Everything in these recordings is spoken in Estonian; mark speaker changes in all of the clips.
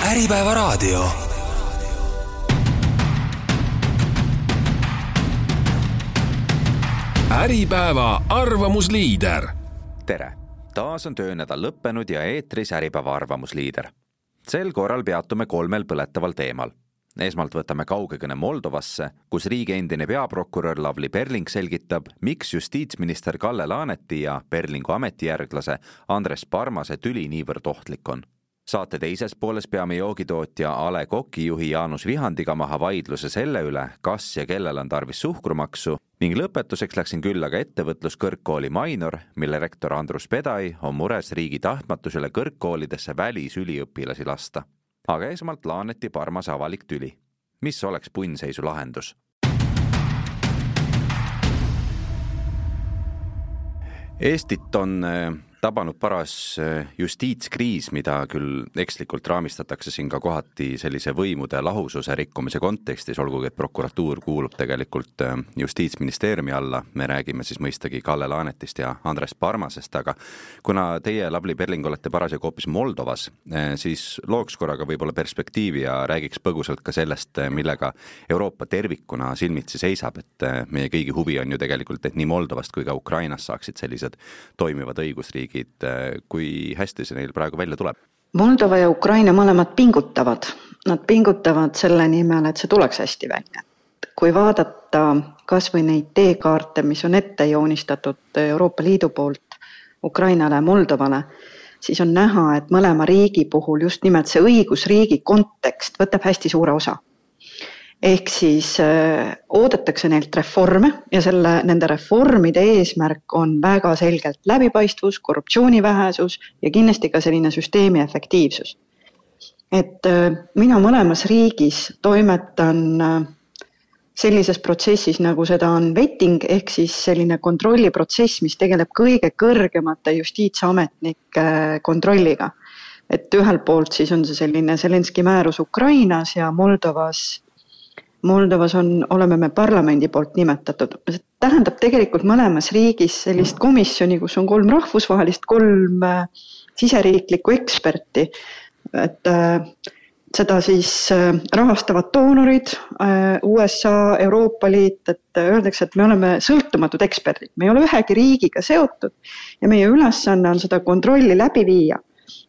Speaker 1: Äripäeva raadio. Äripäeva arvamusliider.
Speaker 2: Tere! Taas on töönädal lõppenud ja eetris Äripäeva arvamusliider. Sel korral peatume 3 põletaval teemal. Esmalt võtame kaugekõne Moldovasse, kus riigi endine peaprokurör Lavly Perling selgitab, miks justiitsminister Kalle Laaneti ja Perlingu ametijärglase Andres Parmase tüli niivõrd ohtlik on. Saate teises pooles peame joogitootja Ale Koki juhi Jaanus Vihandiga maha vaidluse selle üle, kas ja kellel on tarvis suhkrumaksu, ning lõpetuseks läksin külla ka ettevõtluskõrgkooli Mainor, mille rektor Andrus Pedai on mures riigi tahtmatusele kõrgkoolidesse välisüliõpilasi lasta. Aga esmalt Laaneti Parmase avalik tüli. Mis oleks punnseisu lahendus? Eestit on tabanud paras justiitskriis, mida küll ekslikult raamistatakse siin ka kohati sellise võimude lahususe rikkumise kontekstis, olgugi et prokuratuur kuulub tegelikult justiitsministeeriumi alla. Me räägime siis mõistagi Kalle Laanetist ja Andres Parmasest, aga kuna teie, Lavly Perling, olete parasjagu hoopis Moldovas, siis looks korraga võib-olla perspektiivi ja räägiks põgusalt ka sellest, millega Euroopa tervikuna silmitsi seisab, et meie kõigi huvi on ju tegelikult, et nii Moldovast kui ka Ukrainas saaksid sellised toimivad õigusriigid. Kui hästi see neil praegu välja tuleb?
Speaker 3: Moldova ja Ukraina mõlemad pingutavad. Nad pingutavad selle nimel, et see tuleks hästi välja. Kui vaadata kas või neid teekaarte, mis on ette joonistatud Euroopa Liidu poolt Ukrainale ja Moldovale, siis on näha, et mõlema riigi puhul just nimelt see õigusriigi kontekst võtab hästi suure osa. Ehk siis oodatakse neilt reforme ja nende reformide eesmärk on väga selgelt läbipaistvus, korruptsioonivähesus ja kindlasti ka selline süsteemi efektiivsus. Et mina mõlemas riigis toimetan sellises protsessis, nagu seda on vetting, ehk siis selline kontrolliprotsess, mis tegeleb kõige kõrgemate justiitsametnike kontrolliga. Et ühel poolt siis on see selline Zelenski määrus Ukrainas ja Moldovas oleme me parlamendi poolt nimetatud. See tähendab tegelikult mõlemas riigis sellist komisjoni, kus on 3 rahvusvahelist, 3 siseriiklikku eksperti. Et seda siis rahastavad doonorid, USA, Euroopa Liit, et öeldakse, et me oleme sõltumatud eksperdid. Me ei ole ühegi riigiga seotud ja meie ülesanne on seda kontrolli läbi viia.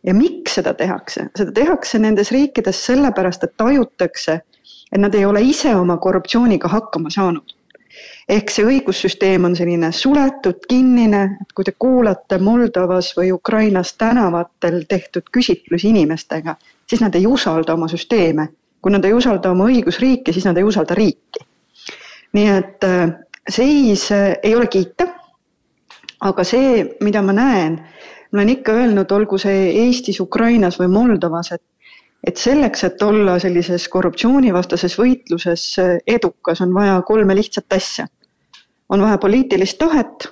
Speaker 3: Ja miks seda tehakse? Seda tehakse nendes riikides sellepärast, et tajutakse, et nad ei ole ise oma korruptsiooniga hakkama saanud. Ehk see õigussüsteem on selline suletud, kinnine, et kui te kuulate Moldovas või Ukrainas tänavatel tehtud küsitlusi inimestega, siis nad ei usalda oma süsteeme. Kui nad ei usalda oma õigusriiki, siis nad ei usalda riiki. Nii et seis ei ole kiita, aga see, mida ma näen, ma olen ikka öelnud, olgu see Eestis, Ukrainas või Moldovas, et selleks, et olla sellises korruptsioonivastases võitluses edukas, on vaja 3 lihtsat asja. On vaja poliitilist tahet,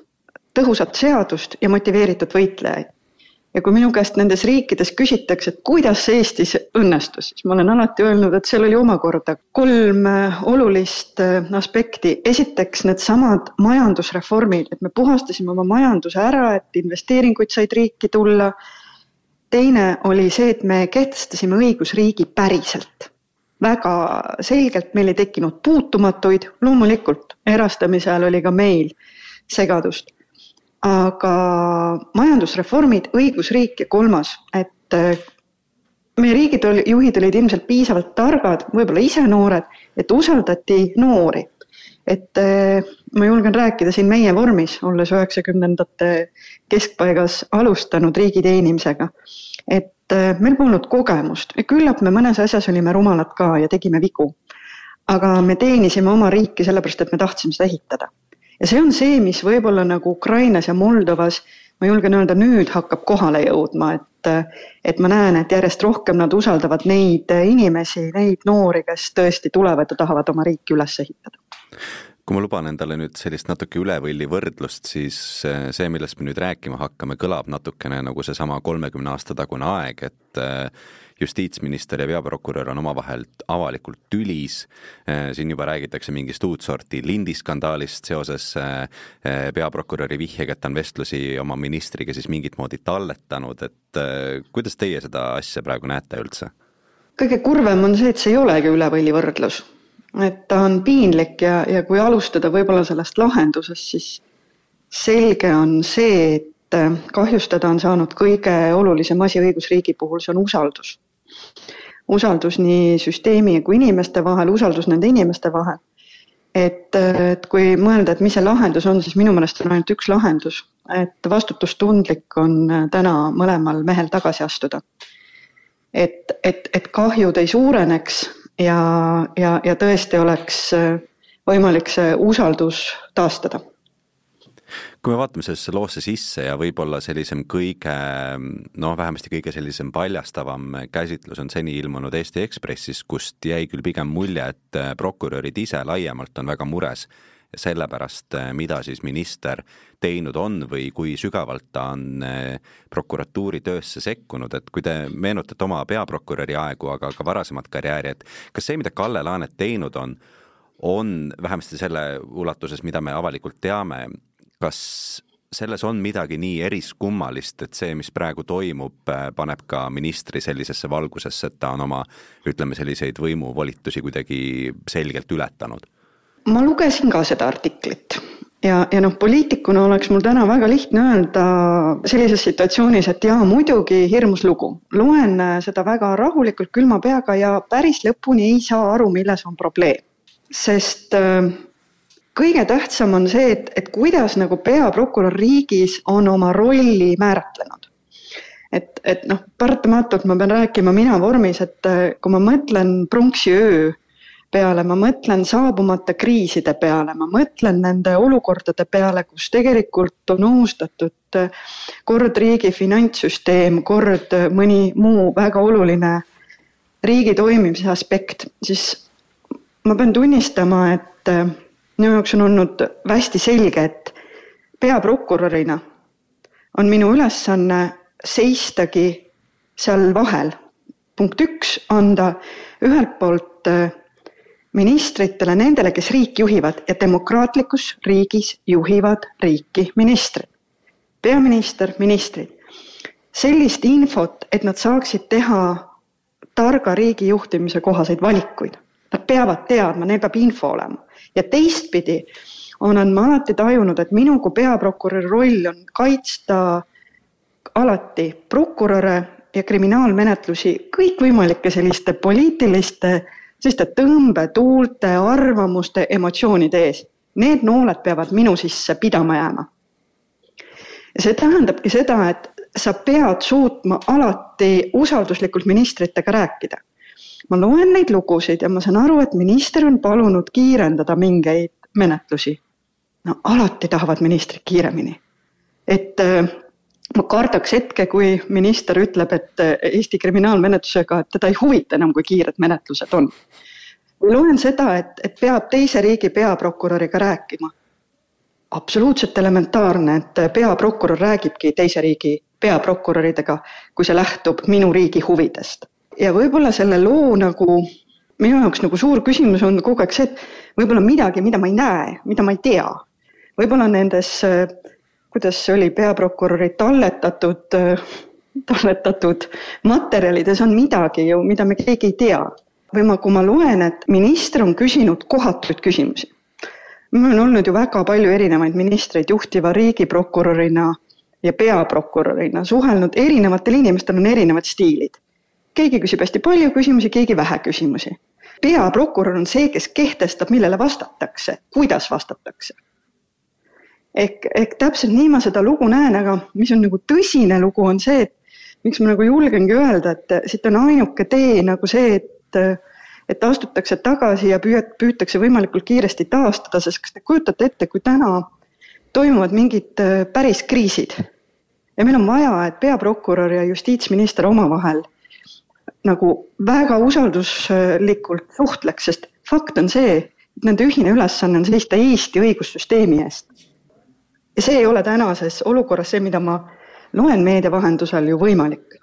Speaker 3: tõhusat seadust ja motiveeritud võitlejaid. Ja kui minu käest nendes riikides küsitakse, et kuidas Eestis õnnestus, siis ma olen alati öelnud, et seal oli omakorda 3 olulist aspekti. Esiteks need samad majandusreformid, et me puhastasime oma majanduse ära, et investeeringuid said riiki tulla. Teine oli see, et me kehtestasime õigusriigi päriselt. Väga selgelt meil ei tekkinud puutumatuid, loomulikult erastamise ajal oli ka meil segadust. Aga majandusreformid, õigusriik ja 3, et meie riigid juhid olid ilmselt piisavalt targad, võib-olla ise noored, et usaldati noori. Et ma julgen rääkida siin meie vormis, olles 90ndate keskpaigas alustanud riigi teenimisega, et meil polnud kogemust. Küllap me mõnes asjas olime rumalad ka ja tegime vigu. Aga me teenisime oma riiki sellepärast, et me tahtsime seda ehitada. Ja see on see, mis võib-olla nagu Ukrainas ja Moldovas, ma julgen öelda, nüüd hakkab kohale jõudma, et ma näen, et järjest rohkem nad usaldavad neid inimesi, neid noori, kes tõesti tulevad ja tahavad oma riiki üles ehitada.
Speaker 2: Kui ma luban endale nüüd sellist natuke ülevõlli võrdlust, siis see, millest me nüüd rääkima hakkame, kõlab natukene nagu see sama 30 aasta tagune aeg, et justiitsminister ja peaprokurör on omavahel avalikult tülis. Siin juba räägitakse mingist uut sorti lindiskandaalist seoses peaprokuröri vihjega, et ta on vestlusi oma ministriga siis mingit moodi talletanud. Et kuidas teie seda asja praegu näete üldse?
Speaker 3: kõige kurvem on see, et see ei olegi üle võlli võrdlus. Et ta on piinlik ja kui alustada võib-olla sellest lahendusest, siis selge on see, et kahjustada on saanud kõige olulisem asi õigusriigi puhul, see on usaldus. Usaldus nii süsteemi kui inimeste vahel, usaldus nende inimeste vahel. Et kui mõelda, et mis see lahendus on, siis minu meelest on ainult üks lahendus, et vastutustundlik on täna mõlemal mehel tagasi astuda. Et kahjud ei suureneks ja tõesti oleks võimalik see usaldus taastada.
Speaker 2: Kui me vaatame sellesse loosse sisse ja võib-olla sellisem vähemasti kõige sellisem paljastavam käsitlus on seni ilmunud Eesti Ekspressis, kust jäi küll pigem mulje, et prokurörid ise laiemalt on väga mures sellepärast, mida siis minister teinud on või kui sügavalt ta on prokuratuuri töösse sekkunud, et kui te meenutate oma peaprokuröri aegu, aga ka varasemat karjääri, et kas see, mida Kalle Laanet teinud on vähemasti selle ulatuses, mida me avalikult teame, kas selles on midagi nii eriskummalist, et see, mis praegu toimub, paneb ka ministri sellisesse valgusesse, et ta on oma, selliseid võimuvolitusi kuidagi selgelt ületanud?
Speaker 3: Ma lugesin ka seda artiklit ja poliitikuna oleks mul täna väga lihtne öelda sellises situatsioonis, et muidugi hirmus lugu. Loen seda väga rahulikult külma peaga ja päris lõpuni ei saa aru, milles on probleem. Sest kõige tähtsam on see, et kuidas peaprokurör riigis on oma rolli määratlenud. Et paratamatult ma pean rääkima mina vormis, et kui ma mõtlen pronksi öö peale, ma mõtlen saabumata kriiside peale, ma mõtlen nende olukordade peale, kus tegelikult on ohustatud kord riigi finantssüsteem, kord mõni muu väga oluline riigi toimimise aspekt, siis ma pean tunnistama, et minu jaoks on olnud hästi selge, et peaprokurörina on minu ülesanne seistagi seal vahel. Punkt 1, anda ühelt poolt ministritele, nendele, kes riik juhivad ja demokraatlikus riigis juhivad riiki ministrid. Peaminister, ministrid. Sellist infot, et nad saaksid teha targa riigi juhtimise kohaseid valikuid. Nad peavad teadma, neil peab info olema. Ja teistpidi olen ma alati tajunud, et minu kui peaprokuröri roll on kaitsta alati prokuröre ja kriminaalmenetlusi kõikvõimalike selliste poliitiliste tõmbe, tuulte, arvamuste, emotsioonide ees. Need nooled peavad minu sisse pidama jääma. Ja see tähendabki seda, et sa pead suutma alati usalduslikult ministritega rääkida. Ma loen neid lugusid ja ma saan aru, et minister on palunud kiirendada mingeid menetlusi. Alati tahavad ministrid kiiremini. Et ma kardaks hetke, kui minister ütleb, et Eesti kriminaalmenetlusega, et teda ei huvita enam, kui kiired menetlused on. Loen seda, et peab teise riigi peaprokuröriga rääkima. Absoluutselt elementaarne, et peaprokurör räägibki teise riigi peaprokuröridega, kui see lähtub minu riigi huvidest. Ja võib-olla selle loo minu jaoks suur küsimus on kogu aeg see, et võib-olla midagi, mida ma ei näe, mida ma ei tea. Võib-olla nendes kuidas see oli peaprokuröri talletatud materjalides on midagi ju, mida me keegi ei tea. Või kui ma loen, et minister on küsinud kohatuid küsimusi. Mul on olnud ju väga palju erinevaid ministreid juhtiva riigiprokurörina ja peaprokurörina. Suhelnud erinevatel inimestel on erinevad stiilid. Keegi küsib hästi palju küsimusi, keegi vähe küsimusi. Peaprokurör on see, kes kehtestab, millele vastatakse, kuidas vastatakse. Ehk täpselt nii ma seda lugu näen, aga mis on tõsine lugu on see, et miks ma julgengi öelda, et siit on ainuke tee see, et astutakse tagasi ja püütakse võimalikult kiiresti taastada, sest kas te kujutate ette, kui täna toimuvad mingid päris kriisid ja meil on vaja, et peaprokurör ja justiitsminister omavahel väga usalduslikult suhtleks, sest fakt on see, et nende ühine ülesanne on seista Eesti õigussüsteemi eest. Ja see ei ole tänases olukorras see, mida ma loen meedia vahendusel ju võimalik.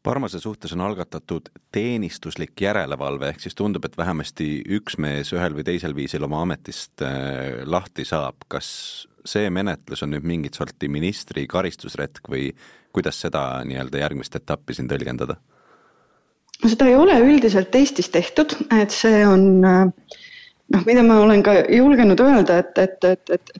Speaker 2: Parmase suhtes on algatatud teenistuslik järelevalve, ehk siis tundub, et vähemasti üks mees ühel või teisel viisil oma ametist lahti saab. Kas see menetlus on nüüd mingit sorti ministri karistusretk või kuidas seda järgmist etappi siin tõlgendada?
Speaker 3: Seda ei ole üldiselt Eestis tehtud, et see on, mida ma olen ka julgenud öelda, et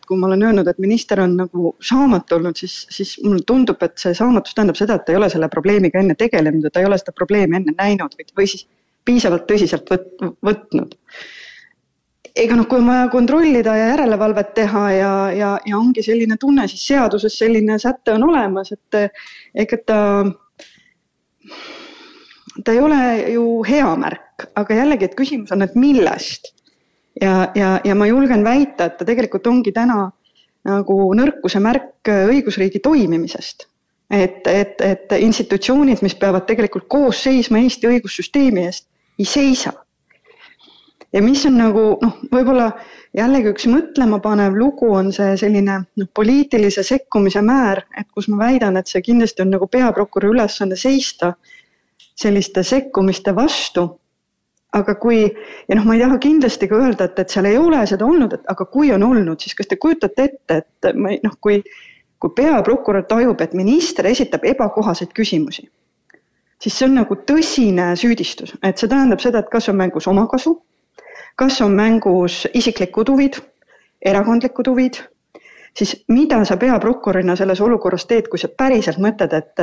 Speaker 3: kui ma olen öelnud, et minister on nagu saamatu olnud, siis mulle tundub, et see saamatus tähendab seda, et ta ei ole selle probleemiga enne tegelenud, et ta ei ole seda probleemi enne näinud või siis piisavalt tõsiselt võtnud. Ega kui ma kontrollida ja järelevalvet teha ja ongi selline tunne, siis seaduses selline sätte on olemas, et ega ta ei ole ju hea märk, aga jällegi, et küsimus on, et millest. Ja ma julgen väita, et ta tegelikult ongi täna nagu nõrkuse märk õigusriigi toimimisest. Et institutsioonid, mis peavad tegelikult koos seisma Eesti õigussüsteemi eest, ei seisa. Ja mis on nagu, võib-olla jällegi üks mõtlema panev lugu on see selline poliitilise sekkumise määr, et kus ma väidan, et see kindlasti on nagu peaprokuröri ülesanne seista selliste sekkumiste vastu. Aga ja ma ei taha kindlasti ka öelda, et seal ei ole seda olnud, aga kui on olnud, siis kas te kujutate ette, et kui peaprokurör tajub, et minister esitab ebakohaseid küsimusi, siis see on nagu tõsine süüdistus. Et see tähendab seda, et kas on mängus omakasu, kas on mängus isiklikud huvid, erakondlikud huvid, siis mida sa peaprokurörina selles olukorras teed, kui sa päriselt mõtled, et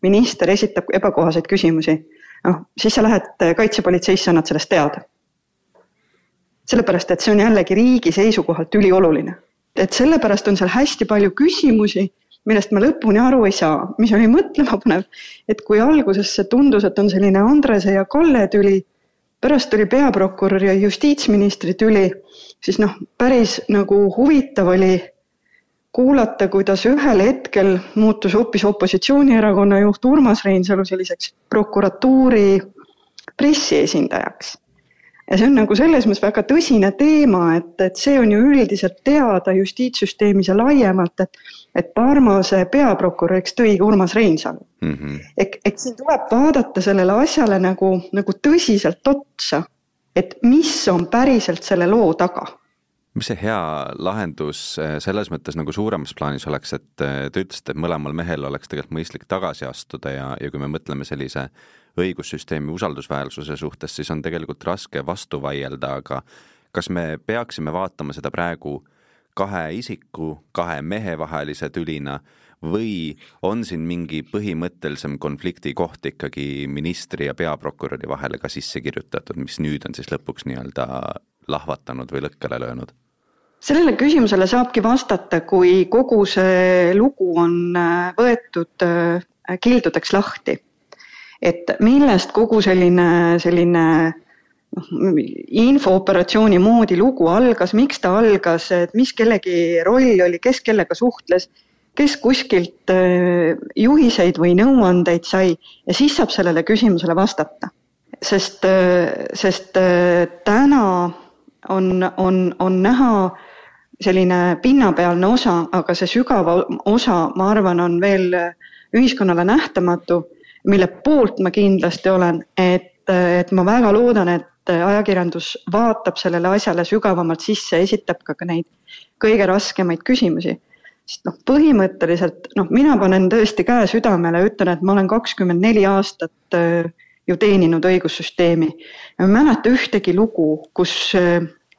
Speaker 3: minister esitab ebakohaseid küsimusi, siis sa lähed kaitsepolitseisse, annad sellest teada. Sellepärast, et see on jällegi riigi seisukohalt ülioluline. Et sellepärast on seal hästi palju küsimusi, millest ma lõpuni aru ei saa, mis oli mõtlema panev, et kui alguses see tundus, et on selline Andrese ja Kalle tüli, pärast oli peaprokurör ja justiitsministri tüli, siis päris nagu huvitav oli kuulata, kuidas ühel hetkel muutus hoopis opositsioonierakonna juht Urmas Reinsalu selliseks prokuratuuri pressiesindajaks. Ja see on nagu selles mõttes väga tõsine teema, et see on ju üldiselt teada justiitssüsteemis ja laiemalt, et Parmase peaprokuröriks tõi Urmas Reinsalu. Et siin tuleb vaadata sellele asjale nagu tõsiselt otsa, et mis on päriselt selle loo taga.
Speaker 2: Mis see hea lahendus selles mõttes nagu suuremas plaanis oleks, et te ütlesite, et mõlemal mehel oleks tegelikult mõistlik tagasi astuda ja kui me mõtleme sellise õigussüsteemi usaldusväärsuse suhtes, siis on tegelikult raske vastu vaielda, aga kas me peaksime vaatama seda praegu kahe isiku, kahe mehe vahelise tülina või on siin mingi põhimõttelisem konflikti koht ikkagi ministri ja peaprokuröri vahele ka sisse kirjutatud, mis nüüd on siis lõpuks nii-öelda lahvatanud või lõkkele löönud?
Speaker 3: Sellele küsimusele saabki vastata, kui kogu see lugu on võetud kildudeks lahti. Et millest kogu selline infooperatsiooni moodi lugu algas, miks ta algas, et mis kellegi roll oli, kes kellega suhtles, kes kuskilt juhiseid või nõuandeid sai ja siis saab sellele küsimusele vastata. Sest täna on näha selline pinnapealne osa, aga see sügava osa, ma arvan, on veel ühiskonnale nähtamatu, mille poolt ma kindlasti olen, et ma väga loodan, et ajakirjandus vaatab sellele asjale sügavamalt sisse, esitab ka neid kõige raskemaid küsimusi. Sest põhimõtteliselt, mina panen tõesti käe südamele ja ütlen, et ma olen 24 aastat ju teeninud õigussüsteemi. Ja ma mäleta ühtegi lugu, kus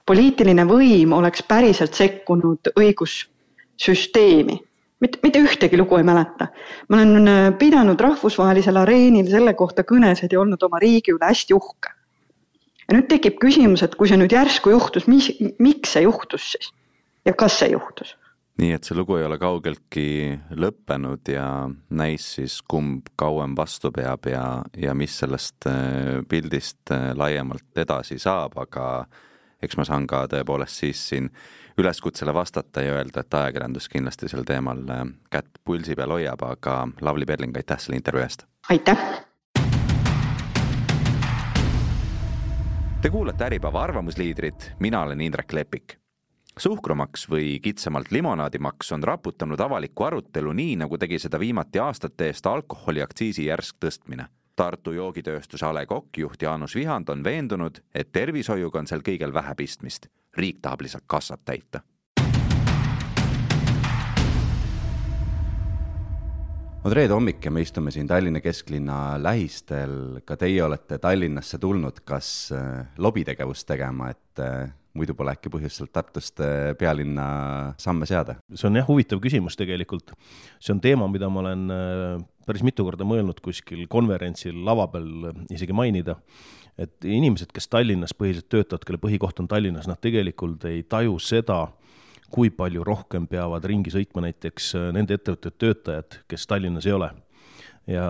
Speaker 3: poliitiline võim oleks päriselt sekkunud õigussüsteemi. Mitte ühtegi lugu ei mäleta. Ma olen pidanud rahvusvahelisel areenil selle kohta kõnesid ja olnud oma riigi üle hästi uhke. Ja nüüd tekib küsimus, et kui see nüüd järsku juhtus, miks see juhtus siis? Ja kas see juhtus?
Speaker 2: Nii, et see lugu ei ole kaugeltki lõppenud ja näis siis kumb kauem vastu peab ja mis sellest pildist laiemalt edasi saab, aga eks ma saan ka tõepoolest siis siin üleskutsele vastata ja öelda, et ajakirjandus kindlasti sel teemal kätt pulsi peal hoiab, aga Lavly Perling, aitäh selle intervjuu eest!
Speaker 3: Aitäh!
Speaker 2: Te kuulate Äripäeva arvamusliidrit, mina olen Indrek Lepik. Suhkrumaks või kitsamalt limonaadimaks on raputanud avalikku arutelu nii, nagu tegi seda viimati aastate eest alkoholiaktsiisi järsk tõstmine. Tartu joogitööstuse A. Le Coq juht Jaanus Vihand on veendunud, et tervishoiuga on seal kõigel vähe pistmist. Riik tahab lihtsalt kassat täita. On reede hommik ja me istume siin Tallinna kesklinna lähistel. Ka teie olete Tallinnasse tulnud, kas lobitegevust tegema, et muidu pole äkki põhjuselt Tartust pealinna samme seada?
Speaker 4: See on huvitav küsimus tegelikult. See on teema, mida ma olen päris mitu korda mõelnud kuskil konverentsil lava peal isegi mainida. Et inimesed, kes Tallinnas põhiliselt töötavad, kelle põhikoht on Tallinnas, nad tegelikult ei taju seda, kui palju rohkem peavad ringi sõitma näiteks nende ettevõtted töötajad, kes Tallinnas ei ole. Ja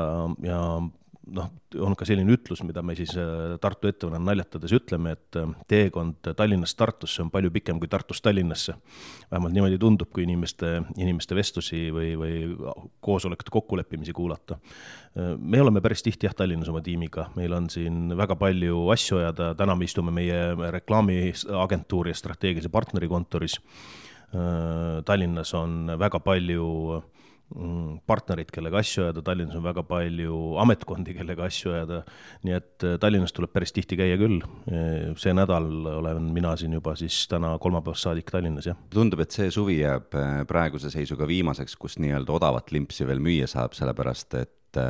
Speaker 4: on ka selline ütlus, mida me siis Tartu ettevõtjana naljatades ütleme, et teekond Tallinnast Tartusse on palju pikem kui Tartust Tallinnasse. Vähemalt niimoodi tundub, kui inimeste vestlusi või koosolekute kokkuleppimisi kuulata. Me oleme päris tihti Tallinnas oma tiimiga. Meil on siin väga palju asju ajada. Täna me istume meie reklaamiagentuuri ja strateegilise partneri kontoris. Tallinnas on väga palju partnerid, kellega asju ajada, Tallinnas on väga palju ametkondi, kellega asju ajada, nii et Tallinnas tuleb päris tihti käia küll. See nädal olen mina siin juba siis täna kolmapäevast saadik Tallinnas. Ja.
Speaker 2: Tundub, et see suvi jääb praeguse seisuga viimaseks, kus nii-öelda odavat limpsi veel müüa saab, sellepärast et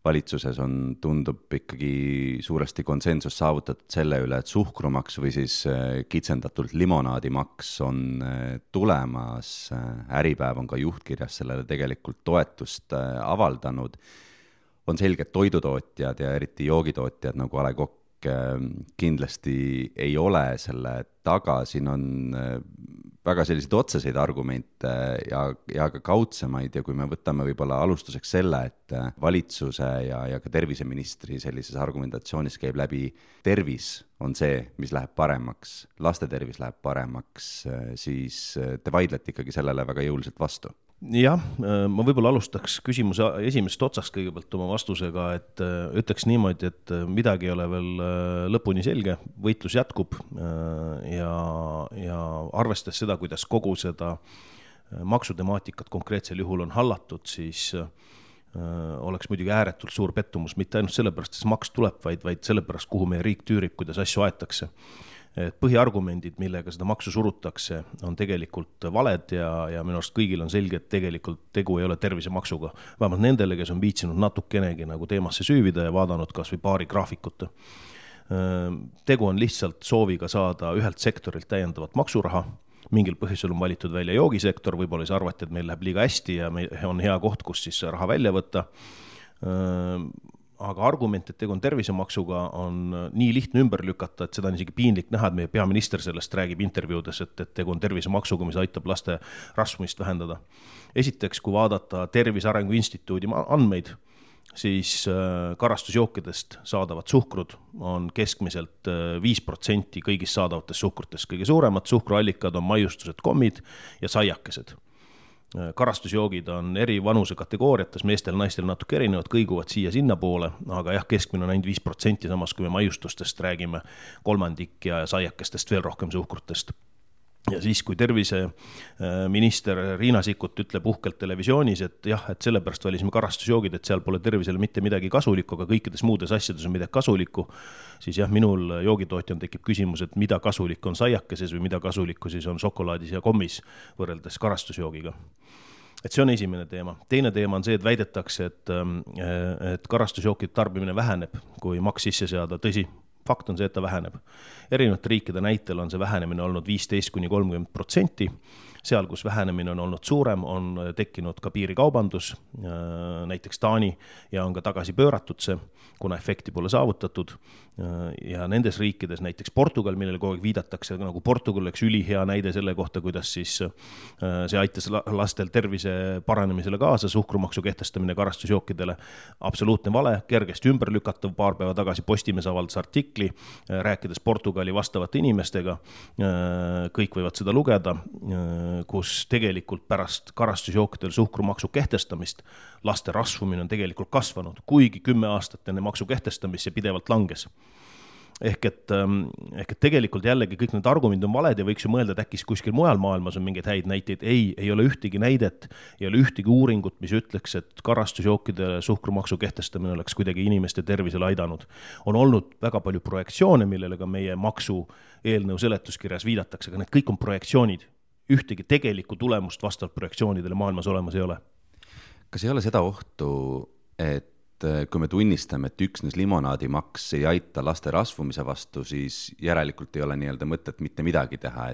Speaker 2: valitsuses tundub ikkagi suuresti konsensus saavutatud selle üle, et suhkrumaks või siis kitsendatult limonaadimaks on tulemas. Äripäev on ka juhtkirjas sellele tegelikult toetust avaldanud. On selge, et toidutootjad ja eriti joogitootjad nagu A. Le Coq kindlasti ei ole selle taga. Siin on väga selliseid otseseid argumente ja ka kaudsemaid ja kui me võtame võib-olla alustuseks selle, et valitsuse ja ka terviseministri sellises argumentatsioonis käib läbi tervis on see, mis läheb paremaks, laste tervis läheb paremaks, siis te vaidlete ikkagi sellele väga jõuliselt vastu.
Speaker 4: Jah, ma võib-olla alustaks küsimuse esimesest otsast kõigepealt oma vastusega, et ütleks niimoodi, et midagi ei ole veel lõpuni selge, võitlus jätkub ja arvestades seda, kuidas kogu seda maksutemaatikat konkreetsel juhul on hallatud, siis oleks muidugi ääretult suur pettumus, mitte ainult sellepärast, et see maks tuleb, vaid sellepärast, kuhu meie riik tüürib, kuidas asju aetakse. Et põhiargumendid, millega seda maksu surutakse, on tegelikult valed ja minu arust kõigil on selge, et tegelikult tegu ei ole tervisemaksuga. Vähemalt nendele, kes on viitsinud natukenegi nagu teemasse süüvida ja vaadanud kas või paari graafikut. Tegu on lihtsalt sooviga saada ühelt sektorilt täiendavat maksuraha. Mingil põhjusel on valitud välja joogisektor, võib-olla siis arvati, et meil läheb liiga hästi ja on hea koht, kus siis raha välja võtta. Aga argument, et tegu on tervisemaksuga, on nii lihtne ümber lükata, et seda on isegi piinlik näha, et meie peaminister sellest räägib intervjuudes, et tegu on tervisemaksuga, mis aitab laste rasvumist vähendada. Esiteks, kui vaadata Tervise Arengu Instituudi andmeid, siis karastusjookidest saadavad suhkrud on keskmiselt 5% kõigist saadavatest suhkrutest. Kõige suuremad suhkruallikad on maiustused, kommid ja saiakesed. Karastusjoogid on eri vanuse kategooriates, meestel ja naistel natuke erinevad, kõiguvad siia-sinna poole, aga keskmine on ainult 5%, samas kui me maiustustest räägime kolmandik ja saiakestest veel rohkem suhkrutest. Ja siis, kui terviseminister Riina Sikkut ütleb uhkelt televisioonis, et sellepärast valisime karastusjoogid, et seal pole tervisele mitte midagi kasulikku, aga kõikides muudes asjades on midagi kasulikku, siis minul joogitootjan tekib küsimus, et mida kasulik on saiakeses või mida kasulikku siis on šokolaadis ja kommis võrreldes karastusjoogiga. Et see on esimene teema. Teine teema on see, et väidetakse, et karastusjookide tarbimine väheneb, kui maks sisse seada. Tõsi, fakt on see, et ta väheneb. Erinevate riikide näitel on see vähenemine olnud 15–30%. Seal, kus vähenemine on olnud suurem, on tekkinud ka piirikaubandus, näiteks Taani, ja on ka tagasi pööratud see, kuna efekti pole saavutatud. Ja nendes riikides, näiteks Portugal, millele kogu aeg viidatakse, nagu Portugal oleks ülihea näide selle kohta, kuidas siis see aitas lastel tervise paranemisele kaasa, suhkrumaksu kehtestamine karastusjookidele. Absoluutne vale, kergesti ümber lükatav. Paar päeva tagasi Postimees avaldas artikli, rääkides Portugali vastavate inimestega. Kõik võivad seda lugeda, kus tegelikult pärast karastusjookidel suhkrumaksu kehtestamist laste rasvumine on tegelikult kasvanud, kuigi 10 aastat enne maksu kehtestamist see pidevalt langes. Ehk et tegelikult jällegi kõik need argumendid on valed ja võiks ju mõelda, et äkki kuskil mujal maailmas on mingeid häid näiteid. Ei ole ühtegi näidet, ei ole ühtegi uuringut, mis ütleks, et karastusjookide suhkrumaksu kehtestamine oleks kuidagi inimeste tervisele aidanud. On olnud väga palju projektsioone, millele ka meie maksu eelnõu seletuskirjas viidatakse, aga need kõik on projektsioonid. Ühtegi tegelikku tulemust vastavalt projektsioonidele maailmas olemas ei ole.
Speaker 5: Kas ei ole seda ohtu, et kui me tunnistame, et üksnes limonaadimaks ei aita laste rasvumise vastu, siis järelikult ei ole nii-öelda mõtet mitte midagi teha,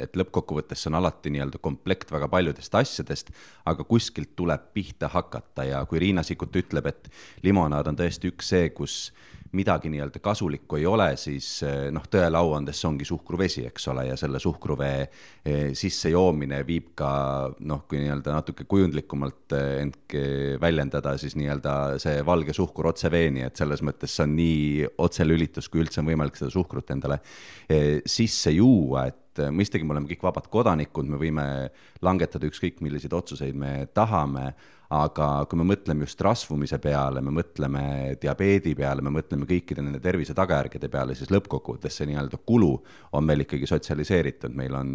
Speaker 5: et lõppkokkuvõttes on alati nii-öelda komplekt väga paljudest asjadest, aga kuskilt tuleb pihta hakata ja kui Riina Sikkut ütleb, et limonaad on tõesti üks see, kus midagi nii-öelda kasulikku ei ole, siis tõelauandes ongi suhkruvesi, eks ole, ja selle suhkruvee sisse joomine viib ka, kui nii-öelda natuke kujundlikumalt väljendada, siis nii-öelda see valge suhkur otse veeni, et selles mõttes see on nii otselülitus, kui üldse on võimalik seda suhkrut endale sisse juua, et mõistagi me oleme kõik vabad kodanikud, me võime langetada ükskõik milliseid otsuseid me tahame, aga kui me mõtleme just rasvumise peale, me mõtleme diabeedi peale, me mõtleme kõikide nende tervise tagajärgede peale, siis lõppkokkuvõttes see nii-öelda kulu on meil ikkagi sotsialiseeritud, meil on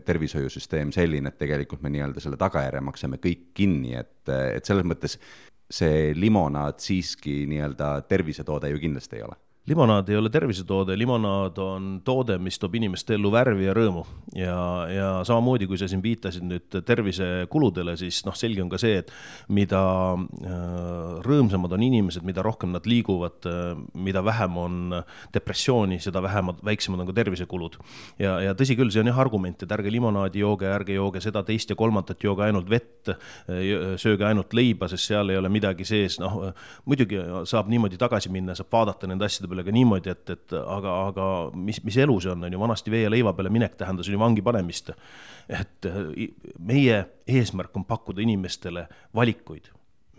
Speaker 5: tervishoiusüsteem selline, et tegelikult me nii-öelda selle tagajärje maksame kõik kinni, et selles mõttes see limonaad siiski nii-öelda tervisetoode ju kindlasti ei ole.
Speaker 4: Limonaad ei ole tervisetoode, limonaad on toode, mis toob inimeste ellu värvi ja rõõmu ja samamoodi, kui sa siin viitasid nüüd tervisekuludele, siis selge on ka see, et mida rõõmsamad on inimesed, mida rohkem nad liiguvad, mida vähem on depressiooni, seda väiksemad on ka tervisekulud. Ja tõsi küll, see on jah argument, et ärge limonaadi jooge, ärge jooge seda teist ja kolmandat, jooge ainult vett, sööge ainult leiba, sest seal ei ole midagi sees. Muidugi saab niimoodi tagasi minna, saab vaadata nende asjade peale ka niimoodi, et aga mis elu see on ju, vanasti vee ja leiva peale minek tähendas ju vangi panemist. Et meie eesmärk on pakkuda inimestele valikuid.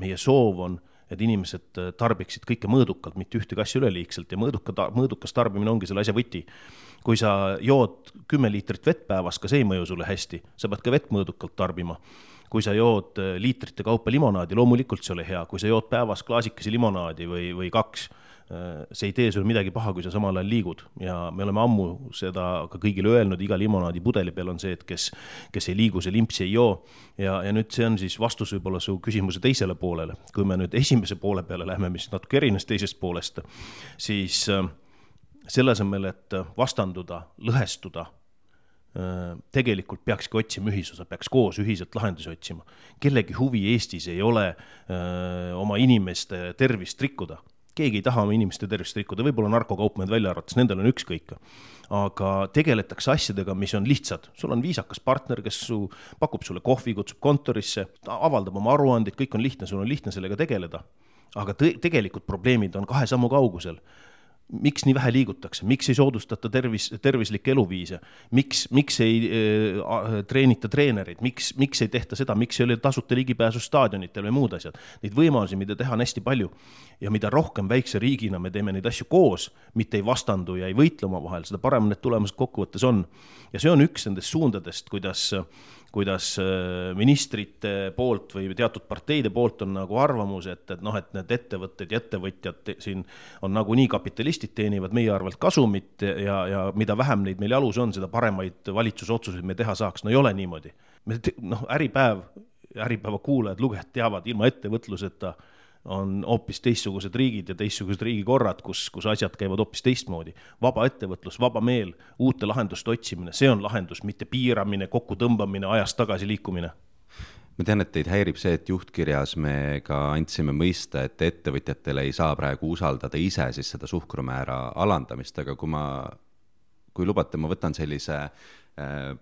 Speaker 4: Meie soov on, et inimesed tarbiksid kõike mõõdukalt, mitte ühtegi asja üleliigselt ja mõõdukas tarbimine ongi selle asja võti. Kui sa jood 10 liitrit vett päevas, ka see ei mõju sulle hästi, sa pead ka vett mõõdukalt tarbima. Kui sa jood liitrite kaupa limonaadi, loomulikult see ole hea. Kui sa jood päevas klaasikesi limonaadi või 2, see ei tee sulle midagi paha, kui sa samal ajal liigud. Ja me oleme ammu seda ka kõigile öelnud, iga limonaadi pudeli peal on see, et kes ei liigu, see limpsi ei joo. Ja nüüd see on siis vastus võib-olla su küsimuse teisele poolele. Kui me nüüd esimese poole peale lähme, mis natuke erines teisest poolest, siis selle asemel, et vastanduda, lõhestuda, tegelikult peakski otsima ühisosa, peaks koos ühiselt lahendusi otsima. Kellegi huvi Eestis ei ole oma inimeste tervist rikkuda. Keegi ei taha oma inimeste tervist rikkuda, võib-olla narkokaupmehed välja arvates, nendel on ükskõik. Aga tegeletakse asjadega, mis on lihtsad. Sul on viisakas partner, kes pakub sulle kohvi, kutsub kontorisse, avaldab oma aruandid, kõik on lihtne, sul on lihtne sellega tegeleda. Aga tegelikult probleemid on 2 sammu kaugusel. Miks nii vähe liigutakse, miks ei soodustata tervislikke eluviise, miks ei treenita treenereid, miks ei tehta seda, miks ei ole tasuta ligipääsu staadionitel või muud asjad. Neid võimalusi, mida teha on hästi palju ja mida rohkem väikse riigina me teeme neid asju koos, mitte ei vastandu ja ei võitle oma vahel, seda parem need tulemused kokkuvõttes on. Ja see on üks nendest suundadest, kuidas ministrite poolt või teatud parteide poolt on nagu arvamus, et need ettevõtted ja ettevõtjad siin on nagu nii kapitalistid teenivad meie arvelt kasumit ja mida vähem neid meil jalus on, seda paremaid valitsusotsuseid me teha saaks. Ei ole niimoodi. Äripäeva kuulajad, lugejad teavad, ilma ettevõtluseta on hoopis teistsugused riigid ja teistsugused riigikorrad, kus asjad käivad hoopis teistmoodi. Vaba ettevõtlus, vaba meel, uute lahenduste otsimine, see on lahendus, mitte piiramine, kokku tõmbamine, ajast tagasi liikumine.
Speaker 5: Ma tean, et teid häirib see, et juhtkirjas me ka andsime mõista, et ettevõtjatele ei saa praegu usaldada ise siis seda suhkrumäära alandamist, aga kui lubate, ma võtan sellise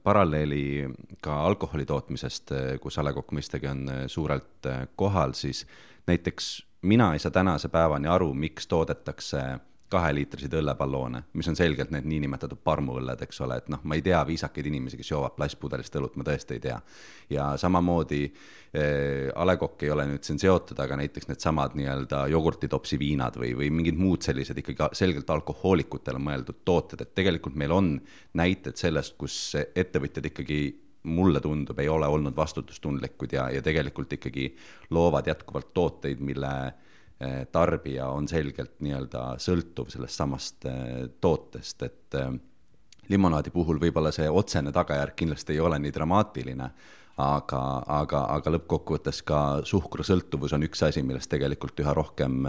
Speaker 5: paralleeli ka alkoholi tootmisest, kus A. Le Coq mõistagi on suurelt kohal, siis näiteks mina ei saa tänase päevani aru, miks toodetakse 2-liitrisid õllepalloone, mis on selgelt need niinimetatud parmuõlled, eks ole, et ma ei tea viisakaid inimesi, kes joovad plastpudelist õlut, ma tõesti ei tea. Ja samamoodi A. Le Coq ei ole nüüd siin seotud, aga näiteks need samad nii-öelda jogurtitopsi viinad või mingid muud sellised ikkagi selgelt alkohoolikutele mõeldud tooted, et tegelikult meil on näited sellest, kus ettevõtjad ikkagi mulle tundub, ei ole olnud vastutustundlikud ja tegelikult ikkagi loovad jätkuvalt tooteid, mille tarbija on selgelt nii-öelda sõltuv sellest samast tootest, et limonaadi puhul võib-olla see otsene tagajärg kindlasti ei ole nii dramaatiline, aga lõppkokkuvõttes ka suhkrusõltuvus on üks asi, millest tegelikult üha rohkem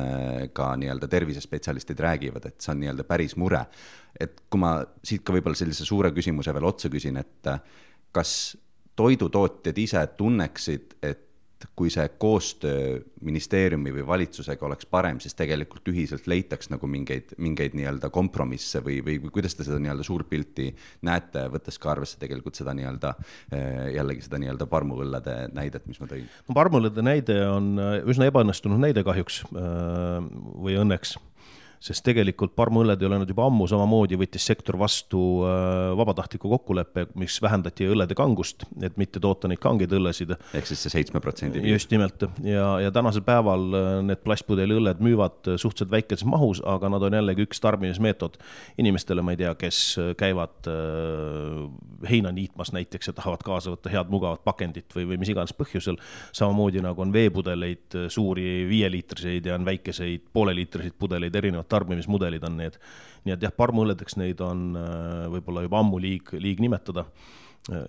Speaker 5: ka nii-öelda tervisespetsialistid räägivad, et see on nii-öelda päris mure. Et kui ma siit ka võib-olla sellise suure küsimuse veel otsa küsin, et kas toidutootjad ise tunneksid, et kui see koostöö ministeeriumi või valitsusega oleks parem, siis tegelikult ühiselt leitaks nagu mingeid nii-öelda kompromisse või kuidas te seda nii-öelda suurpilti näete, võttes ka arvesse tegelikult seda nii-öelda, jällegi seda nii-öelda parmuõllede näidet, mis ma tõin?
Speaker 4: No, parmuõllede näide on üsna ebaõnnestunud näide kahjuks või õnneks. Sest tegelikult parmuõlled ei ole nüüd juba ammu, samamoodi võttis sektor vastu vabatahtliku kokkuleppe, mis vähendati õllede kangust, et mitte toota neid kangeid õllesid.
Speaker 5: Ehk siis see 7%.
Speaker 4: Just nimelt. Ja tänasel päeval need plastpudeli õlled müüvad suhteliselt väikeses mahus, aga nad on jällegi üks tarbimismeetod inimestele, ma ei tea, kes käivad heina niitmas näiteks ja tahavad kaasa võtta head mugavat pakendit või mis iganes põhjusel. Samamoodi nagu on veepudeleid, suuri 5-liitriseid ja on väikeseid pooleliitriseid pudeleid, erinevad tarbimismudelid on need. Nii et jah, parmuõlledeks neid on võib-olla juba ammu liig nimetada.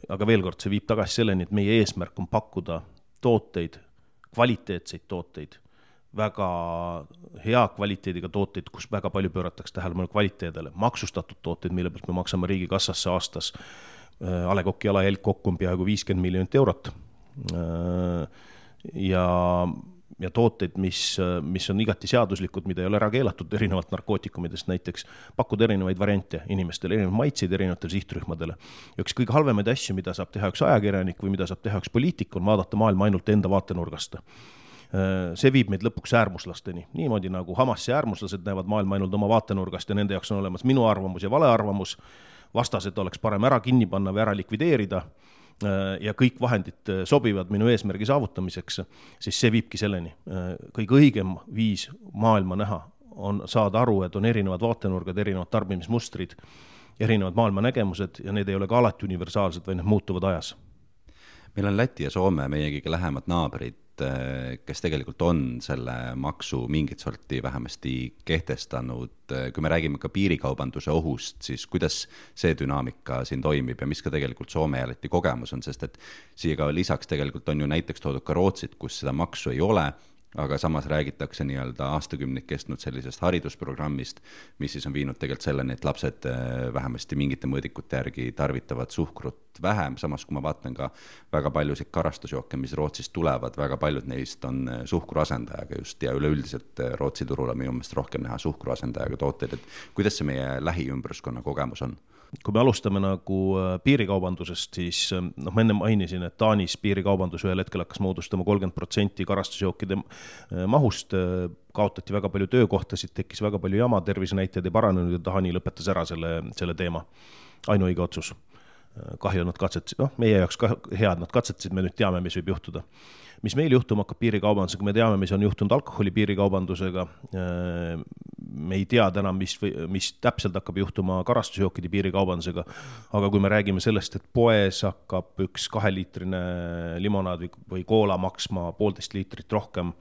Speaker 4: Aga veel kord, see viib tagasi selleni, et meie eesmärk on pakkuda tooteid, kvaliteetseid tooteid, väga hea kvaliteediga tooteid, kus väga palju pööratakse tähelepanu kvaliteedele, maksustatud tooteid, mille pealt me maksame riigi kassasse aastas. A. Le Coq'i jalajälg kokku on peaaegu 50 miljonit eurot. Ja tooteid, mis on igati seaduslikud, mida ei ole ära keelatud erinevalt narkootikumidest näiteks, pakkuda erinevaid variante inimestele, erinevaid maitseid erinevatele sihtrühmadele. Ja üks kõige halvemaid asju, mida saab teha üks ajakirjanik või mida saab teha üks poliitik, on vaadata maailma ainult enda vaatenurgast. See viib meid lõpuks äärmuslasteni. Niimoodi nagu Hamasi äärmuslased näevad maailma ainult oma vaatenurgast ja nende jaoks on olemas minu arvamus ja vale arvamus. Vastased oleks parem ära kinni panna või ära likvideerida ja kõik vahendid sobivad minu eesmärgi saavutamiseks, siis see viibki selleni. Kõige õigem viis maailma näha on saada aru, et on erinevad vaatenurgad, erinevad tarbimismustrid, erinevad maailma nägemused ja need ei ole ka alati universaalsed, või need muutuvad ajas.
Speaker 5: Meil on Läti ja Soome, meie kõige lähemad naabrid, kes tegelikult on selle maksu mingit sorti vähemasti kehtestanud. Kui me räägime ka piirikaubanduse ohust, siis kuidas see dünaamika siin toimib ja mis ka tegelikult Soome ja Läti kogemus on, sest et siia ka lisaks tegelikult on ju näiteks toodud ka Rootsit, kus seda maksu ei ole, aga samas räägitakse nii-öelda aastakümneid kestnud sellisest haridusprogrammist, mis siis on viinud tegelikult selleni, et lapsed vähemasti mingite mõõdikute järgi tarvitavad suhkrut vähem, samas kui ma vaatan ka väga paljusid karastusjooke, mis Rootsist tulevad, väga paljud neist on suhkruasendajaga just ja üleüldiselt Rootsi turul on minu meelest rohkem näha suhkruasendajaga tooteid, et kuidas see meie lähiümbruskonna kogemus on?
Speaker 4: Kui me alustame nagu piirikaubandusest, siis ma enne mainisin, et Taanis piirikaubandus ühel hetkel hakkas moodustama 30% karastusjookide mahust, kaotati väga palju töökohtasid, tekkis väga palju jama, tervisenäitajad ei paranenud ja Taani lõpetas ära selle teema. Ainuõige otsus. Kahju nad katsetasid, meie jaoks head nad katsetasid, me nüüd teame, mis võib juhtuda. Mis meil juhtuma hakkab piirikaubandusega, me teame, mis on juhtunud alkoholi piirikaubandusega, me ei tea täna, mis täpselt hakkab juhtuma karastusjookide piirikaubandusega, aga kui me räägime sellest, et poes hakkab üks 2-liitrine limonaad või koola maksma 1,5 liitrit rohkem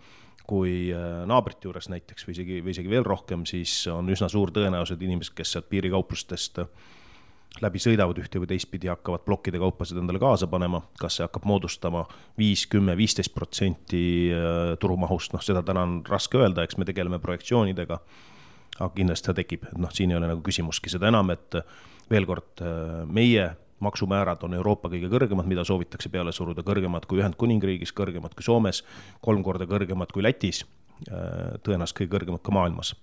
Speaker 4: kui naabrite juures näiteks või isegi veel rohkem, siis on üsna suur tõenäosus, et inimesed, kes sealt piirikauplustest läbi sõidavad ühte või teistpidi, hakkavad plokkide kaupasid endale kaasa panema, kas see hakkab moodustama 5, 10, 15% turumahust, seda täna on raske öelda, eks me tegeleme projektsioonidega, aga kindlasti see tekib, et siin ei ole nagu küsimuski, seda enam, et veel kord meie maksumäärad on Euroopa kõige kõrgemad, mida soovitakse peale suruda, kõrgemad kui Ühendkuningriigis, kõrgemad kui Soomes, 3 korda kõrgemad kui Lätis, tõenäoliselt kõige kõrgemad ka maailmas.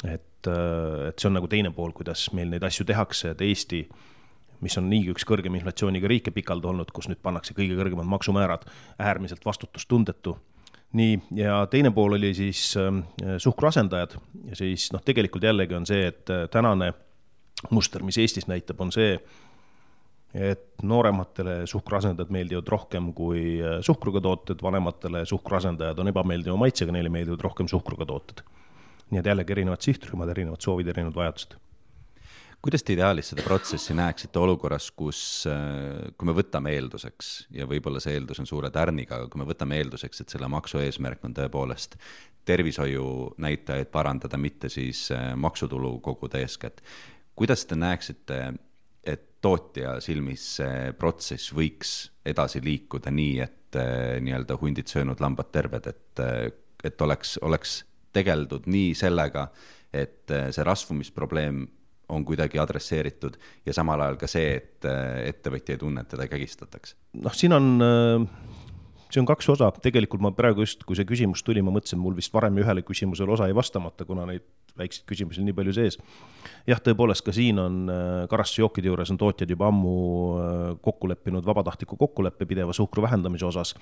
Speaker 4: Et see on nagu teine pool, kuidas meil neid asju tehakse, et Eesti, mis on niigi üks kõrgem inflatsiooniga riike pikalt olnud, kus nüüd pannakse kõige kõrgemad maksumäärad, äärmiselt vastutustundetu. Nii, ja teine pool oli siis suhkruasendajad ja siis tegelikult jällegi on see, et tänane muster, mis Eestis näitab, on see, et noorematele suhkruasendajad meeldivad rohkem kui suhkruga tooted, vanematele suhkruasendajad on ebameeldiva maitsega, neile meeldivad rohkem suhkruga tooted. Nii et jällegi erinevad sihtrühmad, erinevad soovid, erinevad vajadused.
Speaker 5: Kuidas te ideaalis seda protsessi näeksite olukorras, kui me võtame eelduseks, ja võib-olla see eeldus on suure tärniga, aga kui me võtame eelduseks, et selle maksu eesmärk on tõepoolest tervishoiu näitajaid parandada, mitte siis maksutulu koguda eeskätt. Kuidas te näeksite, et tootja silmis see protsess võiks edasi liikuda nii, et nii-öelda hundid söönud lambad terved, et oleks tegeldud nii sellega, et see rasvumisprobleem on kuidagi adresseeritud ja samal ajal ka see, et ettevõtja ei tunne, et teda kägistatakse?
Speaker 4: Siin on see on 2 osa, tegelikult ma praegu just, kui see küsimus tuli, ma mõtlesin, mul vist varem ühele küsimusele osa ei vastamata, kuna neid väikseid küsimusi nii palju sees. Jah, tõepoolest ka siin on karastusjookide juures on tootjad juba ammu kokku leppinud vabatahtliku kokkuleppe pideva suhkru vähendamise osas.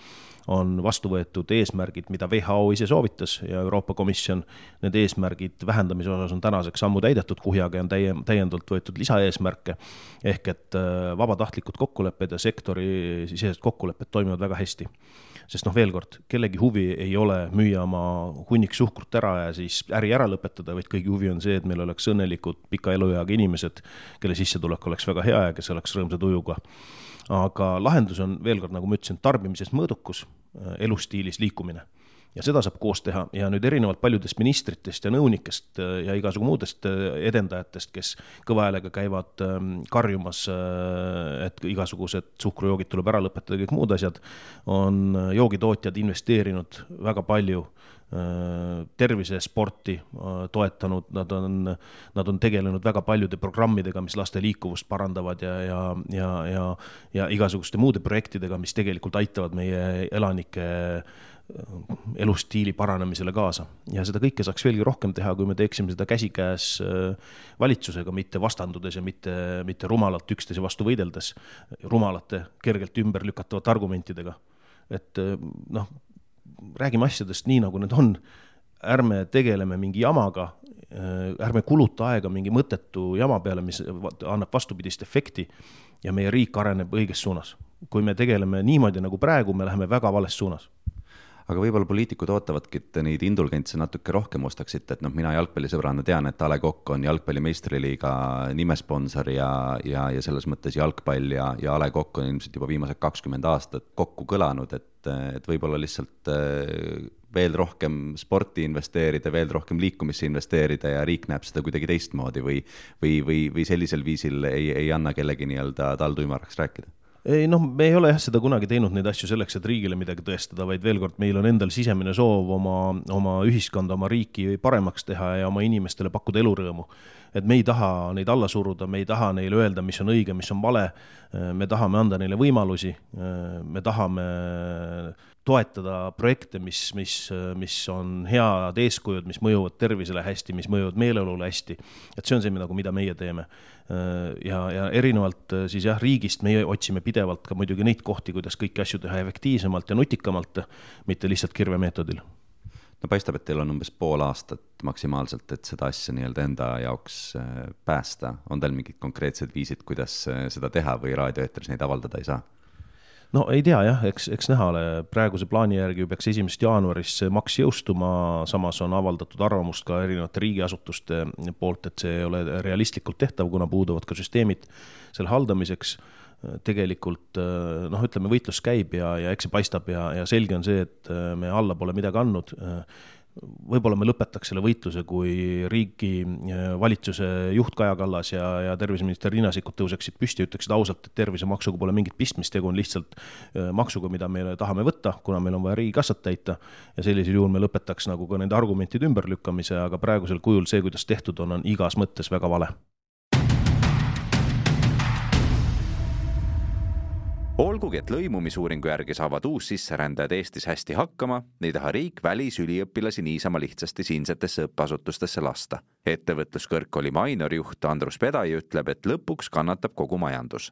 Speaker 4: On vastu võetud eesmärgid, mida WHO ise soovitas ja Euroopa Komisjon. Need eesmärgid vähendamise osas on tänaseks sammu täidetud, kuhjaga on täiendavalt võetud lisaeesmärke. Ehk et vabatahtlikud kokkulepped ja sektori sisesed kokkulepped toimivad väga hästi. Sest veel kord, kellegi huvi ei ole müüa oma hunnik suhkrut ära ja siis äri ära lõpetada, vaid kõigi huvi on see, et meil oleks õnnelikud pika elueaga inimesed, kelle sissetulek oleks väga hea ja kes oleks rõõmsa tujuga. Aga lahendus on veel kord, nagu ma ütlesin, tarbimises mõõdukus, elustiilis liikumine. Ja seda saab koos teha ja nüüd erinevalt paljudest ministritest ja nõunikest ja igasugu muudest edendajatest, kes kõva häälega käivad karjumas, et igasugused suhkrujoogid tuleb ära lõpetada ja kõik muud asjad, on joogitootjad investeerinud väga palju tervisesporti toetanud, nad on tegelenud väga paljude programmidega, mis laste liikuvust parandavad ja igasuguste muude projektidega, mis tegelikult aitavad meie elanike elustiili paranemisele kaasa. Ja seda kõike saaks veelgi rohkem teha, kui me teeksime seda käsikäes valitsusega, mitte vastandudes ja mitte rumalalt üksteise vastu võideldes, rumalate, kergelt ümber lükatavate argumentidega. Et räägime asjadest nii, nagu need on. Ärme tegeleme mingi jamaga, ärme kuluta aega mingi mõttetu jama peale, mis annab vastupidist efekti ja meie riik areneb õiges suunas. Kui me tegeleme niimoodi nagu praegu, me läheme väga vales suunas.
Speaker 5: Aga võib-olla poliitikud ootavadki, et neid indulgentse natuke rohkem ostaksite, et mina jalgpallisõbrana tean, et A. Le Coq on jalgpallimeistriliiga nimesponsor ja selles mõttes jalgpall ja A. Le Coq on ilmselt juba viimased 20 aastat kokku kõlanud, et võib-olla lihtsalt veel rohkem sporti investeerida, veel rohkem liikumisse investeerida ja riik näeb seda kuidagi teistmoodi või sellisel viisil ei anna kellegi nii-öelda taltuimaraks rääkida?
Speaker 4: Ei, me ei ole seda kunagi teinud neid asju selleks, et riigile midagi tõestada, vaid veel kord meil on endal sisemine soov oma ühiskonda, oma riiki paremaks teha ja oma inimestele pakkuda elurõõmu. Et me ei taha neid alla suruda, me ei taha neile öelda, mis on õige, mis on vale, me tahame anda neile võimalusi, me tahame toetada projekte, mis on head eeskujud, mis mõjuvad tervisele hästi, mis mõjuvad meeleolule hästi. Et see on see, mida meie teeme. Ja erinevalt siis riigist meie otsime pidevalt ka muidugi neid kohti, kuidas kõiki asju teha efektiivsemalt ja nutikamalt, mitte lihtsalt kirvemeetodil.
Speaker 5: No paistab, et teil on umbes pool aastat maksimaalselt, et seda asja nii-öelda enda jaoks päästa. On teil mingid konkreetsed viisid, kuidas seda teha või raadioeetris neid avaldada ei saa?
Speaker 4: No ei tea jah, eks näha ole. Praeguse plaani järgi peaks 1. jaanuaris maks jõustuma, samas on avaldatud arvamust ka erinevate riigiasutuste poolt, et see ei ole realistlikult tehtav, kuna puuduvad ka süsteemid selle haldamiseks. Tegelikult ütleme, võitlus käib ja eks see paistab ja selge on see, et me alla pole midagi andnud. Võib-olla me lõpetaks selle võitluse, kui riigi valitsuse juht Kaja Kallas ja terviseminister Riina Sikkut tõuseksid püsti ja ütleksid ausalt, et tervisemaksuga pole mingit pistmist, tegu on lihtsalt maksuga, mida me tahame võtta, kuna meil on vaja riigikassat täita ja sellisel juhul me lõpetaks nagu ka nende argumentide ümberlükkamise, aga praegusel kujul see, kuidas tehtud on igas mõttes väga vale.
Speaker 2: Olgugi, et lõimumisuuringu järgi saavad uussisserändajad Eestis hästi hakkama, ei taha riik välisüliõpilasi niisama lihtsasti siinsetesse õppeasutustesse lasta. Ettevõtluskõrgkooli Mainor-juht Andrus Pedai ütleb, et lõpuks kannatab kogu majandus.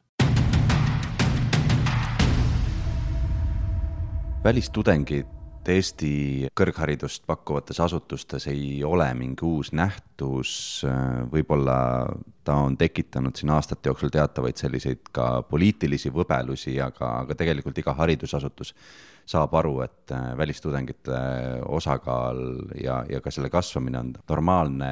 Speaker 2: Välistudengid Eesti kõrgharidust pakkuvates asutustes ei ole mingi uus nähtus, võib-olla ta on tekitanud siin aastate jooksul teatavaid selliseid ka poliitilisi võbelusi, aga tegelikult iga haridusasutus saab aru, et välistudengite osakaal ja ka selle kasvamine on normaalne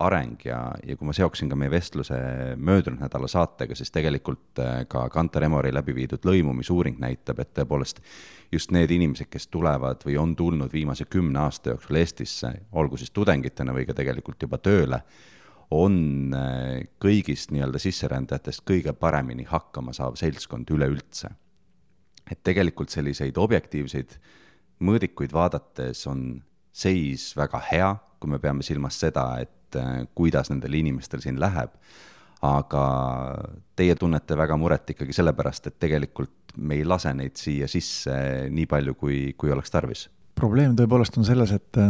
Speaker 2: areng ja kui ma seoksin ka meie vestluse möödunud nädala saatega, siis tegelikult ka Kantar Emori läbi viidud lõimumisuuring näitab, et tõepoolest just need inimesed, kes tulevad või on tulnud viimase 10 aasta jooksul Eestisse, olgu siis tudengitena või ka tegelikult juba tööle, on kõigist nii-öelda sisserändajatest kõige paremini hakkama saav seltskond üleüldse. Et tegelikult selliseid objektiivseid mõõdikuid vaadates on seis väga hea, kui me peame silmas seda, et kuidas nendel inimestel siin läheb.
Speaker 5: aga teie tunnete väga muret ikkagi sellepärast, et tegelikult me ei lase neid siia sisse nii palju, kui oleks tarvis.
Speaker 6: Probleem tõepoolest on selles, et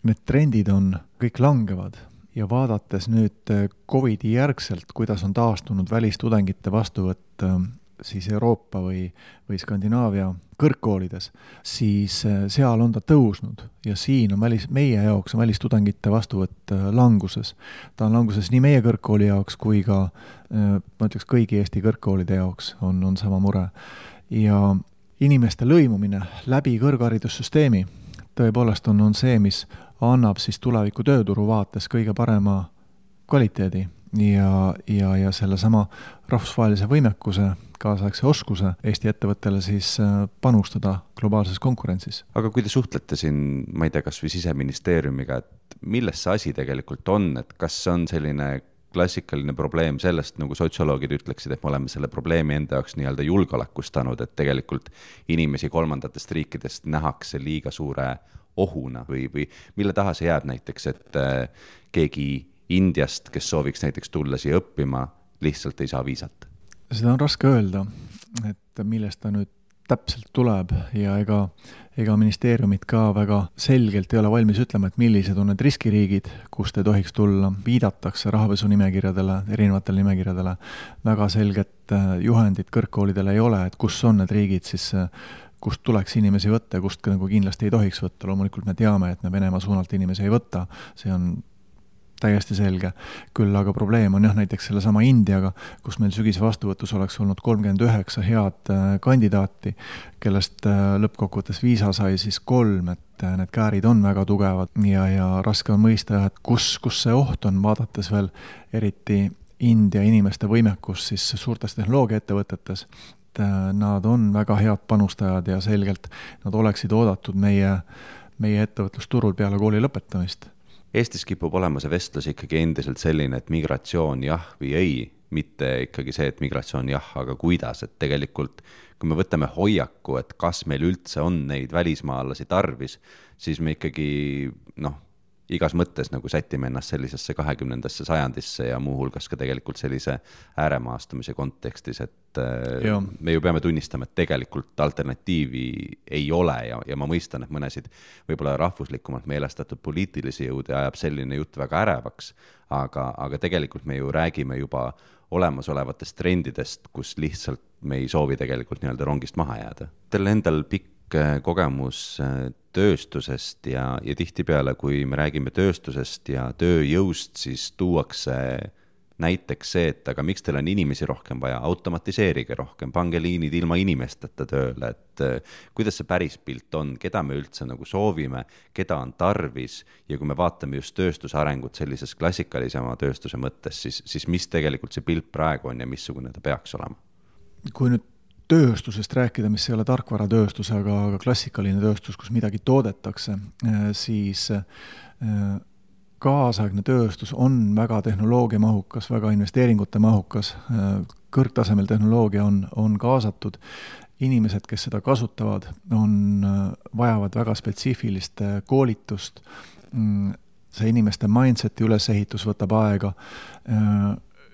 Speaker 6: need trendid on kõik langevad ja vaadates nüüd COVID-i järgselt, kuidas on taastunud välistudengite vastuvõtt siis Euroopa või Skandinaavia kõrgkoolides, siis seal on ta tõusnud ja siin on meie jaoks on välistudengite vastuvõtt languses. Ta on languses nii meie kõrgkooli jaoks kui ka, ma ütleks, kõigi Eesti kõrgkoolide jaoks on sama mure. Ja inimeste lõimumine läbi kõrgharidussüsteemi tõepoolest on see, mis annab siis tuleviku tööturu vaates kõige parema kvaliteedi ja selle sama rahvusvahelise võimekuse, kaasaegse oskuse Eesti ettevõttele siis panustada globaalses konkurentsis.
Speaker 5: Aga kui te suhtlete siin, ma ei tea, kas või Siseministeeriumiga, et milles see asi tegelikult on, et kas on selline klassikaline probleem sellest, nagu sotsioloogid ütleksid, et me oleme selle probleemi enda jaoks nii-öelda julgeolekustanud, et tegelikult inimesi kolmandatest riikidest nähakse liiga suure ohuna või mille taha see jääb näiteks, et keegi Indiast, kes sooviks näiteks tulla siia õppima, lihtsalt ei saa viisat?
Speaker 6: Seda on raske öelda, et millest ta nüüd täpselt tuleb ja ega ministeeriumid ka väga selgelt ei ole valmis ütlema, et millised on need riskiriigid, kust ei tohiks tulla, viidatakse rahapesu nimekirjadele, erinevatele nimekirjadele, väga selget juhendit kõrgkoolidele ei ole, et kus on need riigid siis, kust tuleks inimesi võtta ja kust nagu kindlasti ei tohiks võtta. Loomulikult me teame, et me Venemaa suunalt inimesi ei võtta, see on täiesti selge. Küll aga probleem on näiteks selle sama Indiaga, kus meil sügise vastuvõtus oleks olnud 39 head kandidaati, kellest lõppkokkuvõttes viisa sai siis 3, et need käärid on väga tugevad ja raske on mõista, et kus see oht on, vaadates veel eriti India inimeste võimekus siis suurtes tehnoloogiaettevõtetes. Nad on väga head panustajad ja selgelt nad oleksid oodatud meie ettevõtlusturul peale kooli lõpetamist.
Speaker 5: Eestis kipub olema see vestlus ikkagi endiselt selline, et migratsioon jah või ei, mitte ikkagi see, et migratsioon jah, aga kuidas, et tegelikult kui me võtame hoiaku, et kas meil üldse on neid välismaalasi tarvis, siis me ikkagi igas mõttes nagu sätime ennast sellisesse 20. sajandisse ja muuhulgas ka tegelikult sellise ääremaastumise kontekstis, et me ju peame tunnistama, et tegelikult alternatiivi ei ole ja ma mõistan, et mõnesid võib-olla rahvuslikumalt meelestatud poliitilisi jõude ajab selline jutt väga ärevaks, aga tegelikult me ju räägime juba olemasolevatest trendidest, kus lihtsalt me ei soovi tegelikult nii-öelda rongist maha jääda. Teil endal pikk kogemus tööstusest ja tihtipeale, kui me räägime tööstusest ja tööjõust, siis tuuakse näiteks see, et aga miks teil on inimesi rohkem vaja, automatiseerige rohkem, pange liinid ilma inimesteta tööle, et kuidas see päris pilt on, keda me üldse nagu soovime, keda on tarvis ja kui me vaatame just tööstuse arengut sellises klassikalisema tööstuse mõttes, siis mis tegelikult see pilt praegu on ja missugune ta peaks olema?
Speaker 6: Kui nüüd tööstusest rääkida, mis ei ole tarkvaratööstus, aga klassikaline tööstus, kus midagi toodetakse, siis kaasaegne tööstus on väga tehnoloogiamahukas, väga investeeringute mahukas, kõrgtasemel tehnoloogia on kaasatud. Inimesed, kes seda kasutavad, vajavad väga spetsiifilist koolitust. See inimeste mindseti ülesehitus võtab aega.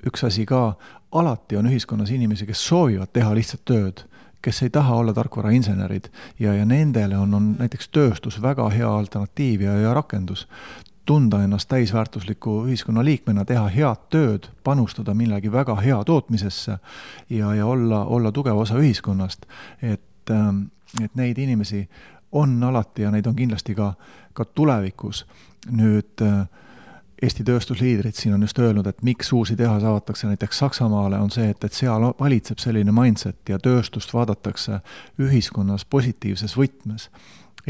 Speaker 6: Üks asi ka, alati on ühiskonnas inimesi, kes soovivad teha lihtsalt tööd, kes ei taha olla tarkvarainsenerid ja nendele on näiteks tööstus väga hea alternatiiv ja rakendus. Tunda ennast täisväärtusliku ühiskonna liikmena, teha head tööd, panustada millegi väga hea tootmisesse ja olla tugev osa ühiskonnast. Et neid inimesi on alati ja neid on kindlasti ka tulevikus. Nüüd Eesti tööstusliidrid siin on just öelnud, et miks uusi tehas avatakse näiteks Saksamaale, on see, et seal valitseb selline mindset ja tööstust vaadatakse ühiskonnas positiivses võtmes.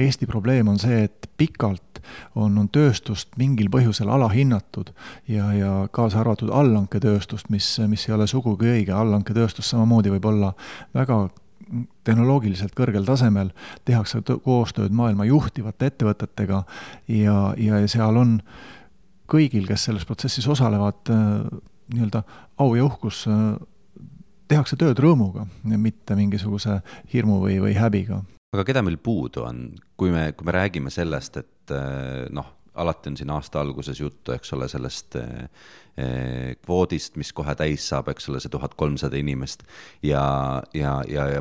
Speaker 6: Eesti probleem on see, et pikalt on tööstust mingil põhjusel alahinnatud ja kaasa arvatud allanketööstust, mis ei ole sugugi õige. Allanketööstus samamoodi võib olla väga tehnoloogiliselt kõrgel tasemel, tehakse koostööd maailma juhtivate ettevõtetega ja seal on kõigil, kes selles protsessis osalevad, nii-öelda au ja uhkus, tehakse tööd rõõmuga, mitte mingisuguse hirmu või häbiga.
Speaker 5: Aga keda meil puudu on, kui me räägime sellest, et alati on siin aasta alguses juttu, eks ole, sellest kvoodist, mis kohe täis saab, eks ole, see 1300 inimest ja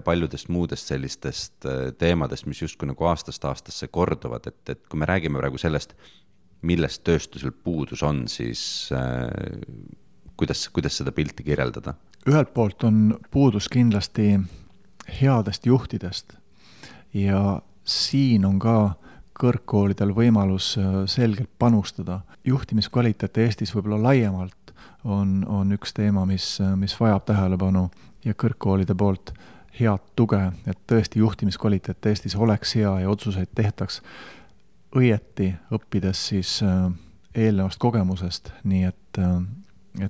Speaker 5: paljudest muudest sellistest teemadest, mis justkui nagu aastast aastasse korduvad, et kui me räägime praegu sellest, millest tööstusel puudus on, siis kuidas seda pilti kirjeldada?
Speaker 6: Ühelt poolt on puudus kindlasti headest juhtidest ja siin on ka kõrgkoolidel võimalus selgelt panustada. Juhtimiskvaliteet Eestis võib-olla laiemalt on üks teema, mis vajab tähelepanu ja kõrgkoolide poolt head tuge, et tõesti juhtimiskvaliteet Eestis oleks hea ja otsuseid tehtaks õieti, õppides siis eelnevast kogemusest, nii et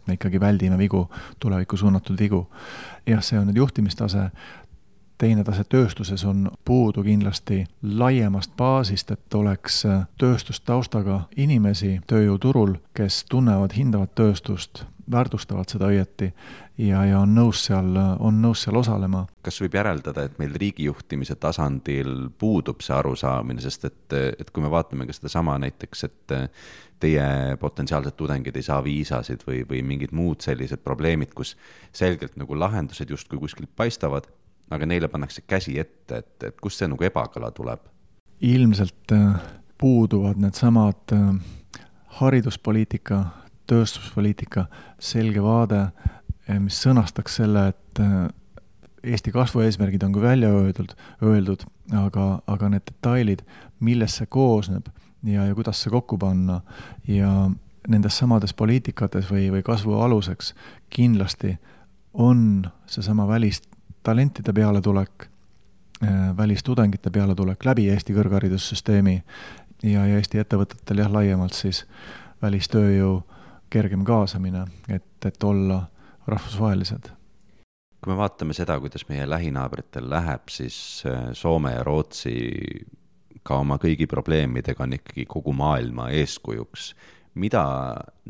Speaker 6: me ikkagi väldime vigu, tulevikku suunatud vigu. Jah, see on nüüd juhtimistase. Teine tase tööstuses on puudu kindlasti laiemast baasist, et oleks tööstustaustaga inimesi tööjõuturul, kes tunnevad, hindavad tööstust, väärtustavad seda õieti ja on nõus seal osalema.
Speaker 5: Kas võib järeldada, et meil riigijuhtimise tasandil puudub see arusaamine, sest et kui me vaatame ka seda sama näiteks, et teie potentsiaalsed tudengid ei saa viisasid või mingid muud sellised probleemid, kus selgelt nagu lahendused justkui kuskilt paistavad, aga neile pannakse käsi ette, et kust see nagu ebakala tuleb?
Speaker 6: Ilmselt puuduvad need samad hariduspoliitika, tööstuspoliitika selge vaade, mis sõnastaks selle, et Eesti kasvueesmärgid on kui välja öeldud, aga need detailid, millest see koosneb ja kuidas see kokku panna ja nendes samades poliitikates või kasvu aluseks kindlasti on seesama välistalentide pealetulek, välistudengite pealetulek läbi Eesti kõrgharidussüsteemi ja Eesti ettevõtetel laiemalt siis välistööjõu kergem kaasamine, et olla rahvusvahelised.
Speaker 5: Kui me vaatame seda, kuidas meie lähinaabritel läheb, siis Soome ja Rootsi ka oma kõigi probleemidega on ikkagi kogu maailma eeskujuks. Mida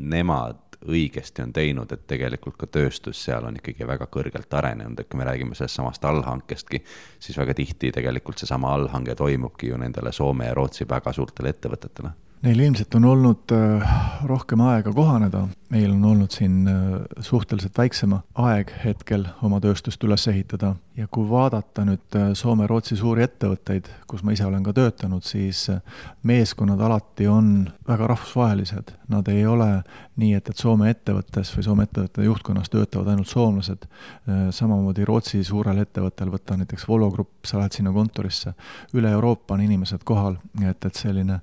Speaker 5: nemad õigesti on teinud, et tegelikult ka tööstus seal on ikkagi väga kõrgelt arenenud, et kui me räägime sellest samast allhankestki, siis väga tihti tegelikult see sama allhange toimubki ju nendele Soome ja Rootsi väga suurtele ettevõtetele.
Speaker 6: Neil ilmselt on olnud rohkem aega kohaneda. Meil on olnud siin suhteliselt väiksema aeg hetkel oma tööstust üles ehitada. Ja kui vaadata nüüd Soome-Rootsi suuri ettevõtteid, kus ma ise olen ka töötanud, siis meeskonnad alati on väga rahvusvahelised. Nad ei ole nii, et Soome ettevõttes või Soome ettevõtte juhtkonnas töötavad ainult soomlased. Samamoodi Rootsi suurel ettevõttel, võtta näiteks Volvo Grupp, sa lähed sinna kontorisse. Üle Euroopa on inimesed kohal, et selline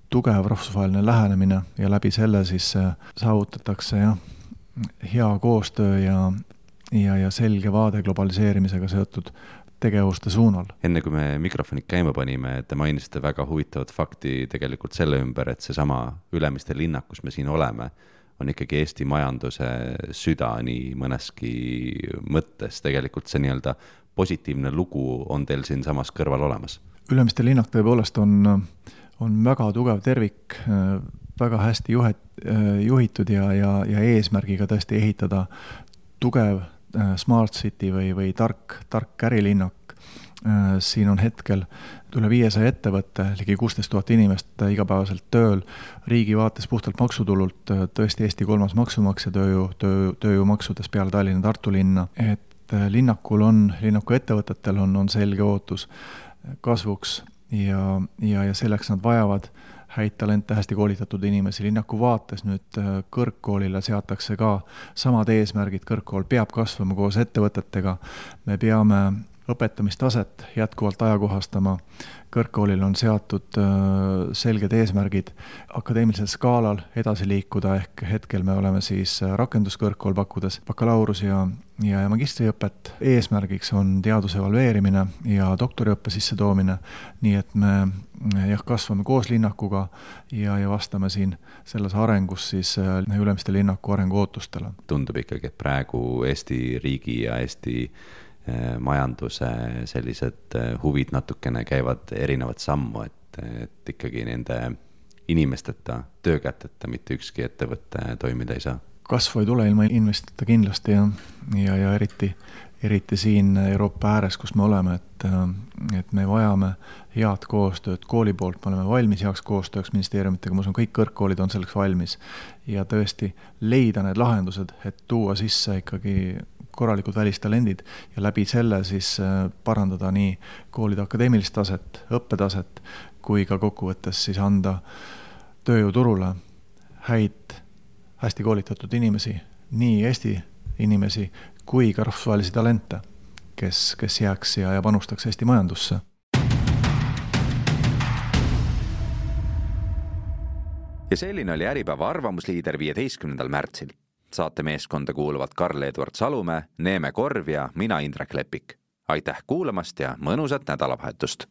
Speaker 6: tugev rahvusvaheline lähenemine ja läbi selle siis saavutatakse hea koostöö ja selge vaade globaliseerimisega seotud tegevuste suunal.
Speaker 5: Enne kui me mikrofonid käima panime, te mainisite väga huvitavat fakti tegelikult selle ümber, et see sama Ülemiste linnak, kus me siin oleme, on ikkagi Eesti majanduse süda nii mõneski mõttes. Tegelikult see nii-öelda positiivne lugu on teil siin samas kõrval olemas.
Speaker 6: Ülemiste linnak tõepoolest on väga tugev tervik, väga hästi juhitud ja eesmärgiga tõesti ehitada tugev smart city või tark ärilinnak. Siin on hetkel üle 500 ettevõtte, ligi 16 000 inimest igapäevaselt tööl, riigi vaates puhtalt maksutulult, tõesti Eesti 3. maksumaksja tööjõumaksudes peale Tallinna Tartu linna, et linnaku ettevõtetel on selge ootus kasvuks ja selleks nad vajavad häid talente, hästi koolitatud inimesi. Linnaku vaates nüüd kõrgkoolile seatakse ka samad eesmärgid, kõrgkool peab kasvama koos ettevõtetega, me peame õpetamistaset jätkuvalt ajakohastama, kõrgkoolil on seatud selged eesmärgid akadeemilisel skaalal edasi liikuda, ehk hetkel me oleme siis rakenduskõrgkool pakkudes bakalaurus ja magistriõpet. Eesmärgiks on teaduse evalveerimine ja doktoriõppe sissetoomine, nii et me kasvame koos linnakuga ja vastame siin selles arengus siis Ülemiste linnaku arengu ootustele.
Speaker 5: Tundub ikkagi, et praegu Eesti riigi ja Eesti majanduse sellised huvid natukene käivad erinevat sammu, et ikkagi nende inimesteta, töökäteta mitte ükski ettevõtte toimida ei saa.
Speaker 6: Kasvu ei tule ilma inimesteta kindlasti ja eriti eriti siin Euroopa ääres, kus me oleme, et me vajame head koostööd kooli poolt, me oleme valmis heaks koostööks ministeeriumitega, ma usun, kõik kõrgkoolid on selleks valmis ja tõesti leida need lahendused, et tuua sisse ikkagi korralikud välistalendid ja läbi selle siis parandada nii koolide akadeemilist taset, õppetaset, kui ka kokkuvõttes siis anda tööjõuturule häid, hästi koolitatud inimesi, nii Eesti inimesi kui ka rahvusvahelisi talente, kes jääks ja panustaks Eesti majandusse.
Speaker 2: Ja selline oli Äripäeva arvamusliider 15. märtsil. Saate meeskonda kuuluvad Karl-Edward Salumäe, Neeme Korv ja mina Indrek Lepik. Aitäh kuulamast ja mõnusat nädalavahetust!